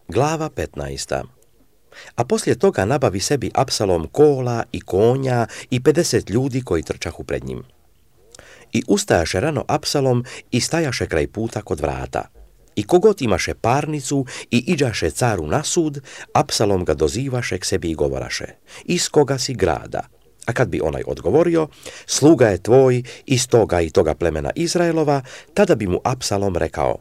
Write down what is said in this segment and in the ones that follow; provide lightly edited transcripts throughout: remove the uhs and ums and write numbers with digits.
Glava 15. A poslije toga nabavi sebi Apsalom kola i konja i 50 ljudi koji trčahu pred njim. I ustajaše rano Apsalom i stajaše kraj puta kod vrata. I kogod imaše parnicu i iđaše caru na sud, Apsalom ga dozivaše k sebi i govoraše: iz koga si grada? A kad bi onaj odgovorio: sluga je tvoj iz toga i toga plemena Izraelova, tada bi mu Apsalom rekao: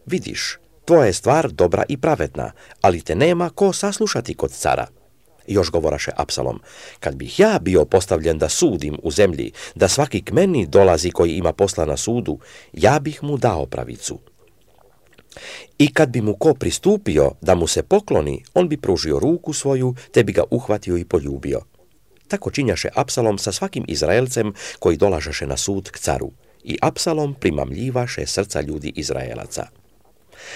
vidiš, tvoja je stvar dobra i pravedna, ali te nema ko saslušati kod cara. Još govoraše Apsalom: kad bih ja bio postavljen da sudim u zemlji, da svaki k meni dolazi koji ima posla na sudu, ja bih mu dao pravicu. I kad bi mu ko pristupio da mu se pokloni, on bi pružio ruku svoju, te bi ga uhvatio i poljubio. Tako činjaše Apsalom sa svakim Izraelcem koji dolažaše na sud k caru. I Apsalom primamljivaše srca ljudi Izraelaca.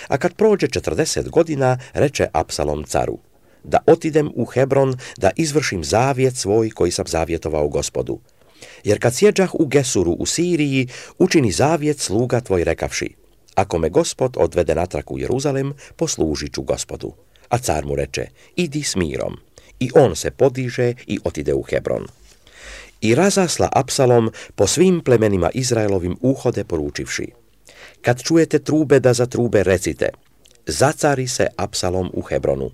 A kad prođe 40 godina, reče Apsalom caru: da otidem u Hebron, da izvršim zavjet svoj koji sam zavjetovao Gospodu. Jer kad sjeđah u Gesuru u Siriji, učini zavjet sluga tvoj rekavši: ako me Gospod odvede natrag u Jeruzalem, poslužit ću Gospodu. A car mu reče: idi s mirom. I on se podiže i otide u Hebron. I razasla Apsalom po svim plemenima Izraelovim uhode poručivši: kad čujete trube da za trube recite: zacari se Apsalom u Hebronu.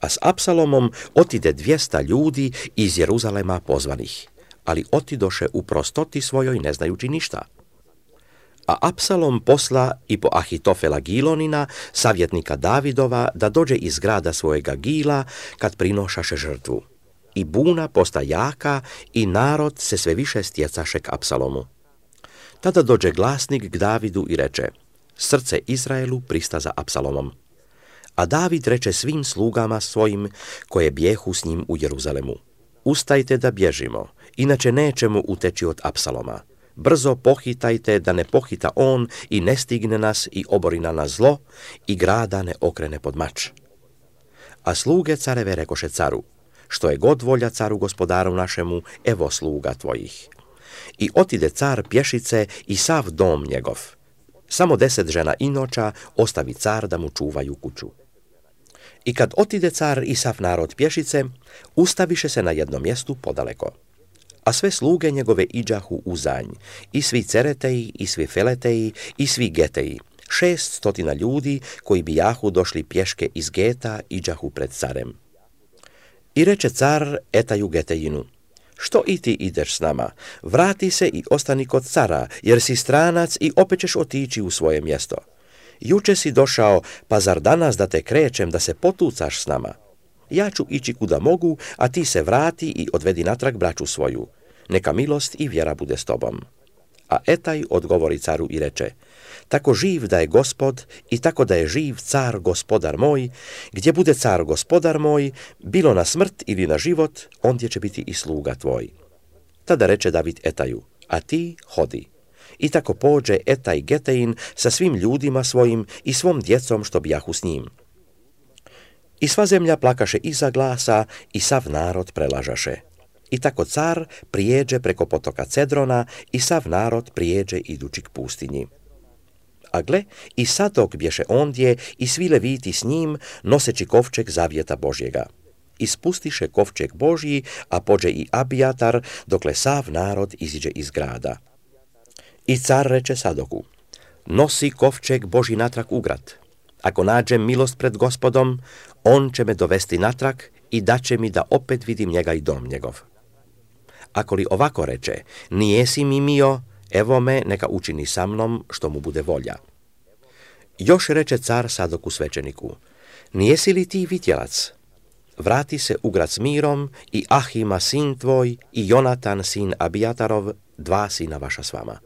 A s Apsalomom otide 200 ljudi iz Jeruzalema pozvanih, ali otidoše u prostoti svojoj ne znajući ništa. A Apsalom posla i po Ahitofela Gilonina, savjetnika Davidova, da dođe iz grada svojega Gila kad prinošaše žrtvu. I buna posta jaka i narod se sve više stjecaše k Apsalomu. Tada dođe glasnik k Davidu i reče: srce Izraelu prista za Apsalomom. A David reče svim slugama svojim koje bjehu s njim u Jeruzalemu: ustajte da bježimo, inače nećemo uteći od Apsaloma. Brzo pohitajte da ne pohita on i ne stigne nas i obori na nas zlo i grada ne okrene pod mač. A sluge careve rekoše caru: što je god volja caru gospodaru našemu, evo sluga tvojih. I otide car pješice i sav dom njegov. Samo 10 žena inoča ostavi car da mu čuvaju kuću. I kad otide car i sav narod pješice, ustaviše se na jednom mjestu podaleko. A sve sluge njegove iđahu u zanj, i svi cereteji, i svi feleteji, i svi geteji. 600 ljudi koji bijahu došli pješke iz Geta iđahu pred carem. I reče car Etaju Getejinu: što i ti ideš s nama? Vrati se i ostani kod cara, jer si stranac i opet ćeš otići u svoje mjesto. Juče si došao, pa zar danas da te krećem da se potucaš s nama? Ja ću ići kuda mogu, a ti se vrati i odvedi natrag braću svoju. Neka milost i vjera bude s tobom. A Etaj odgovori caru i reče: tako živ da je Gospod i tako da je živ car gospodar moj, gdje bude car gospodar moj, bilo na smrt ili na život, ondje će biti i sluga tvoj. Tada reče David Etaju: a ti hodi. I tako pođe Etaj Getein sa svim ljudima svojim i svom djecom što bijahu s njim. I sva zemlja plakaše iza glasa i sav narod prelažaše. I tako car prijeđe preko potoka Cedrona i sav narod prijeđe idući k pustinji. A gle, i Sadok bješe ondje i svi leviti s njim, noseći kovčeg zavjeta Božjega. I spustiše kovčeg Božji, a pođe i Abijatar, dokle sav narod iziđe iz grada. I car reče Sadoku: nosi kovčeg Božji natrag u grad. Ako nađem milost pred Gospodom, on će me dovesti natrag i daće mi da opet vidim njega i dom njegov. Ako li ovako reče: nijesi mi mio, evo me, neka učini sa mnom što mu bude volja. Još reče car Sadoku svećeniku: nijesi li ti vitjelac? Vrati se u grad s mirom i Ahima sin tvoj i Jonatan sin Abijatarov, 2 sina vaša s vama.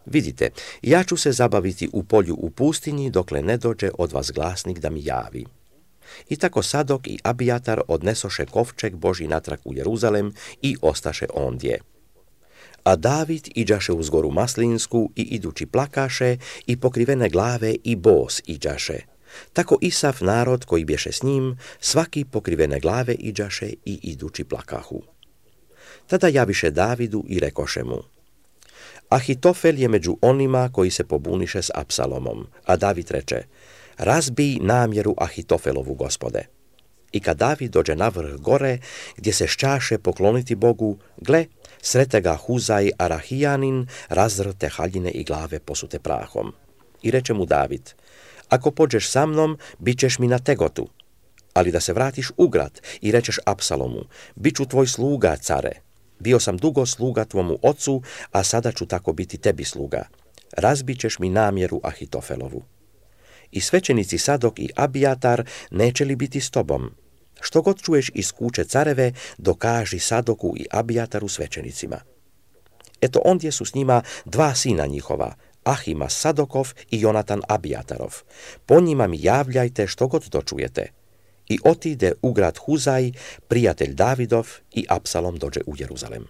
Vidite, ja ću se zabaviti u polju u pustinji dokle ne dođe od vas glasnik da mi javi. I tako Sadok i Abijatar odnesoše kovčeg Božji natrag u Jeruzalem i ostaše ondje. A David iđaše uz goru Maslinsku i idući plakaše i pokrivene glave i bos iđaše. Tako i sav narod koji bješe s njim, svaki pokrivene glave iđaše i idući plakahu. Tada javiše Davidu i rekoše mu: Ahitofel je među onima koji se pobuniše s Apsalomom, a David reče: razbij namjeru Ahitofelovu, Gospode. I kad David dođe na vrh gore, gdje se šćaše pokloniti Bogu, gle, srete ga Huzaj Arahijanin, razrte haljine i glave posute prahom. I reče mu David, ako pođeš sa mnom, bit ćeš mi na tegotu, ali da se vratiš u grad i rečeš Apsalomu, bit ću tvoj sluga, care. Bio sam dugo sluga tvomu ocu, a sada ću tako biti tebi sluga. Razbit ćeš mi namjeru Ahitofelovu. I svećenici Sadok i Abijatar neće li biti s tobom? Što god čuješ iz kuće careve, dokaži Sadoku i Abijataru svećenicima. Eto ondje su s njima dva sina njihova, Ahima Sadokov i Jonatan Abijatarov. Po njima mi javljajte što god dočujete. I otide u grad Huzaj, prijatelj Davidov, i Apsalom dođe u Jeruzalem.